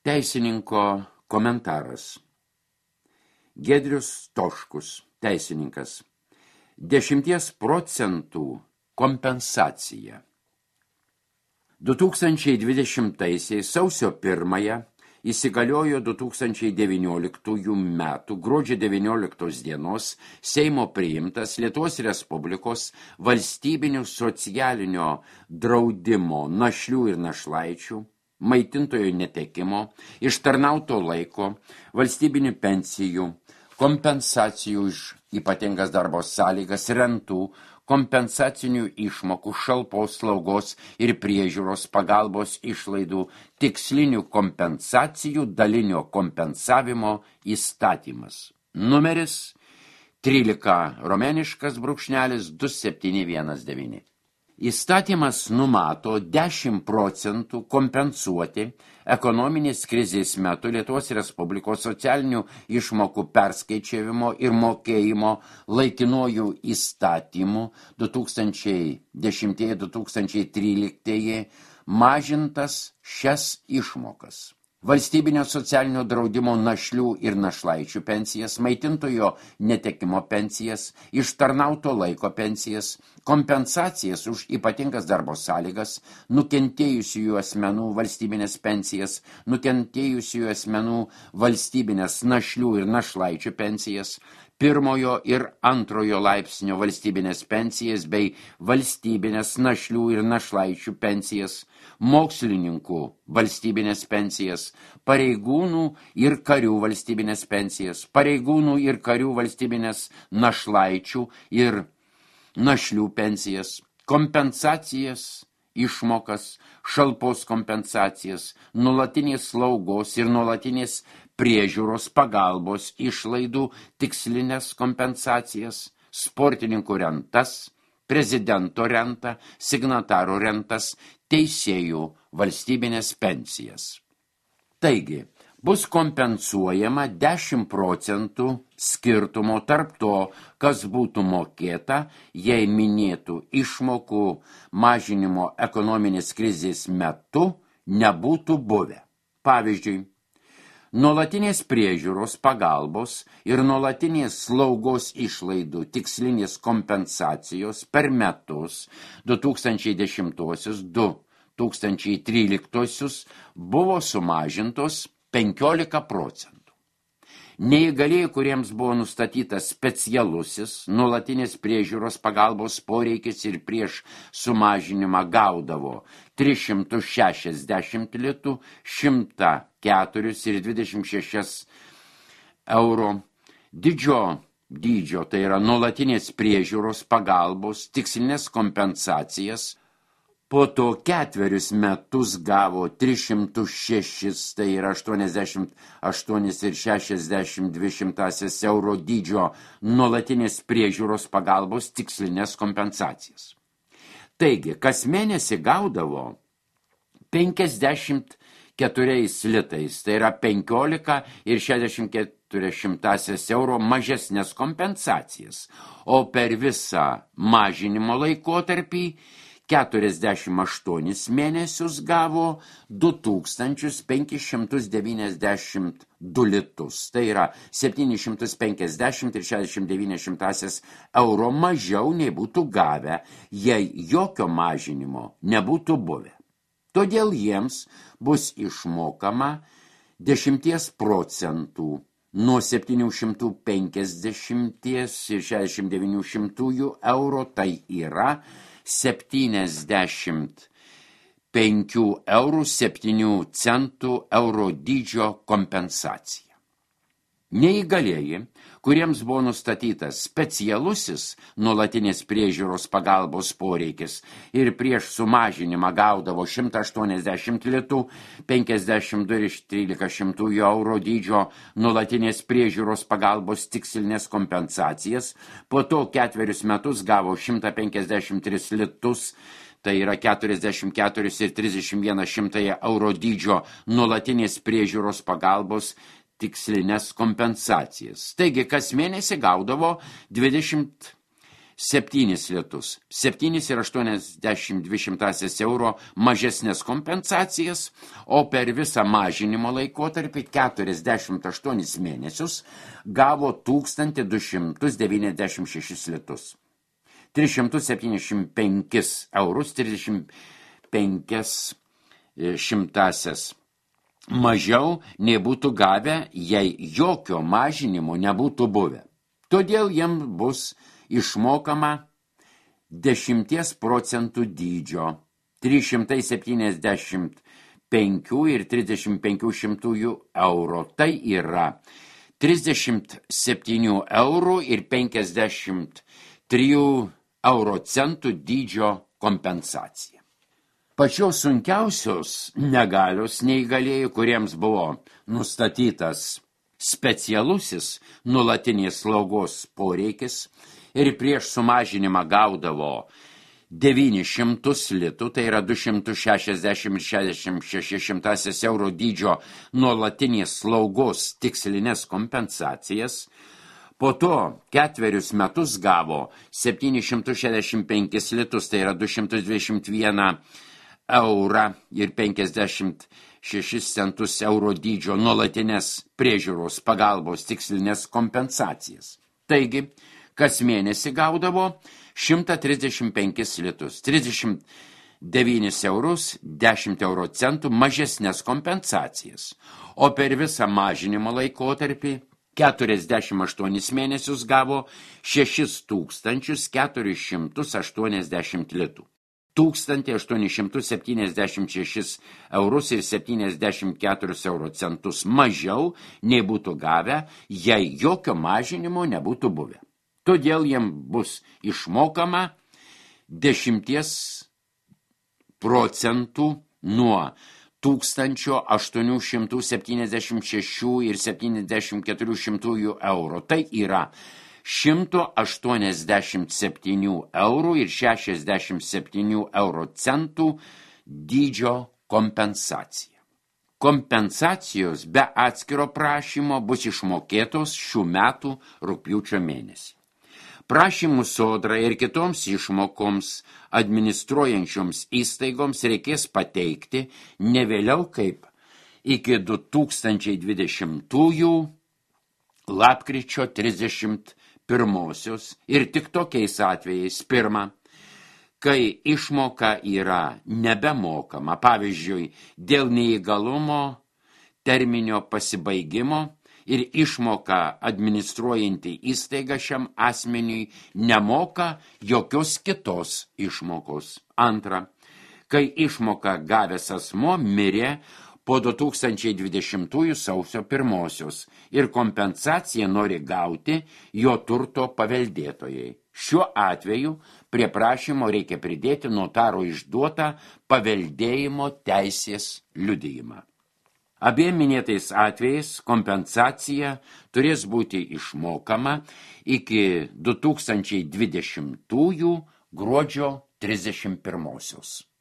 Teisininko komentaras. Giedrius Toškus, teisininkas. 10% kompensacija. 2020 sausio 1 įsigaliojo 2019 metų gruodžio 19 dienos Seimo priimtas Lietuvos Respublikos valstybinių socialinio draudimo našlių ir našlaičių, maitintojo netekimo, ištarnauto laiko, valstybinių pensijų, kompensacijų už ypatingas darbo sąlygas, rentų, kompensacinių išmokų, šalpos, slaugos ir priežiūros pagalbos išlaidų, tikslinių kompensacijų dalinio kompensavimo įstatymas. Numeris 13-2719. Įstatymas numato 10% kompensuoti ekonominės krizės metu Lietuvos Respublikos socialinių išmokų perskaičiavimo ir mokėjimo laikinuoju įstatymu 2010-2013 mažintas šias išmokas. Valstybinio socialinio draudimo našlių ir našlaičių pensijas, maitintojo netekimo pensijas, ištarnauto laiko pensijas, kompensacijas už ypatingas darbo sąlygas, nukentėjusiųjų asmenų valstybinės pensijas, nukentėjusiųjų asmenų valstybinės našlių ir našlaičių pensijas, pirmojo ir antrojo laipsnio valstybinės pensijas bei valstybinės našlių ir našlaičių pensijas, mokslininkų valstybinės pensijas, pareigūnų ir karių valstybinės pensijas, pareigūnų ir karių valstybinės našlaičių ir našlių pensijas, kompensacijas, išmokas, šalpos kompensacijas, nuolatinės slaugos ir nuolatinės priežiūros pagalbos išlaidų, tikslinės kompensacijas, sportininkų rentas, prezidento rentą, signataro rentas, teisėjų valstybinės pensijas. Taigi, bus kompensuojama 10% skirtumo tarp to, kas būtų mokėta, jei minėtų išmokų mažinimo ekonominės krizės metu nebūtų buvę. Pavyzdžiui, nuolatinės priežiūros pagalbos ir nuolatinės slaugos išlaidų tikslinės kompensacijos per metus 2010-2013 buvo sumažintos 15%. Neįgalieji, kuriems buvo nustatytas specialusis nuolatinės priežiūros pagalbos poreikis ir prieš sumažinimą gaudavo 360 litų, 104 ir 26 euro. Dydžio, tai yra nuolatinės priežiūros pagalbos, tikslinės kompensacijas, po to 4 metus gavo 306, tai yra 88 ir 62 euro dydžio nuolatinės priežiūros pagalbos tikslinės kompensacijas. Taigi, kas mėnesį gaudavo 54 litais, tai yra 15 ir 64 euro mažesnės kompensacijas, o per visą mažinimo laikotarpį 48 mėnesius gavo 2592 litus, tai yra 750 ir 69 euro mažiau nei būtų gavę, jei jokio mažinimo nebūtų buvę. Todėl jiems bus išmokama 10% nuo 750 ir 69 euro, tai yra 75 eurų 7 centų euro dydžio kompensacija. Neįgalieji, kuriems buvo nustatytas specialusis nuolatinės priežiūros pagalbos poreikis ir prieš sumažinimą gaudavo 180 litų, 52 ir 13 euro dydžio nuolatinės priežiūros pagalbos tikslinės kompensacijas, po to 4 metus gavo 153 litus, tai yra 44 ir 31 euro dydžio nuolatinės priežiūros pagalbos tikslinės kompensacijas. Taigi, kas mėnesį gaudavo 20 7 litus, 7,82 euro mažesnės kompensacijas, o per visą mažinimo laikotarpį 48 mėnesius gavo 1296 litus. 375 eurus 35 šimtasias mažiau nei būtų gavę, jei jokio mažinimo nebūtų buvę. Todėl jiems bus išmokama 10 procentų dydžio 375 ir 35 šimtųjų euro. Tai yra 37 eurų ir 53 euro centų dydžio kompensacija. Pačios sunkiausios negalios neįgalėjų, kuriems buvo nustatytas specialusis nuolatinės slaugos poreikis ir prieš sumažinimą gaudavo 900 litų, tai yra 260,66 euro dydžio nuolatinės slaugos tikslinės kompensacijas. Po to 4 metus gavo 765 litus, tai yra 221 eurą ir 56 centus euro dydžio nuolatinės priežiūros pagalbos tikslinės kompensacijas. Taigi, kas mėnesį gaudavo 135 litus, 39 eurus, 10 euro centų mažesnės kompensacijas, o per visą mažinimo laikotarpį 48 mėnesius gavo 6480 litų. 1876 eurus ir 74 euro centus mažiau nei būtų gavę, jei jokio mažinimo nebūtų buvę. Todėl jiems bus išmokama 10 procentų nuo 1876 ir 74 euro. Tai yra 187 eurų ir 67 euro centų dydžio kompensacija. Kompensacijos be atskiro prašymo bus išmokėtos šių metų rugpjūčio mėnesį. Prašymų Sodrai ir kitoms išmokoms administruojančioms įstaigoms reikės pateikti ne vėliau kaip iki 2020 lapkričio 31 ir tik tokiais atvejais: pirma, kai išmoka yra nebemokama, pavyzdžiui, dėl neįgalumo terminio pasibaigimo ir išmoka administruojanti įstaiga šiam asmeniui nemoka jokios kitos išmokos. Antra, kai išmoka gavęs asmuo mirė po 2020 sausio 1 ir kompensaciją nori gauti jo turto paveldėtojai. Šiuo atveju prie prašymo reikia pridėti notaro išduotą paveldėjimo teisės liudijimą. Abiem minėtais atvejais kompensacija turės būti išmokama iki 2020 gruodžio 31.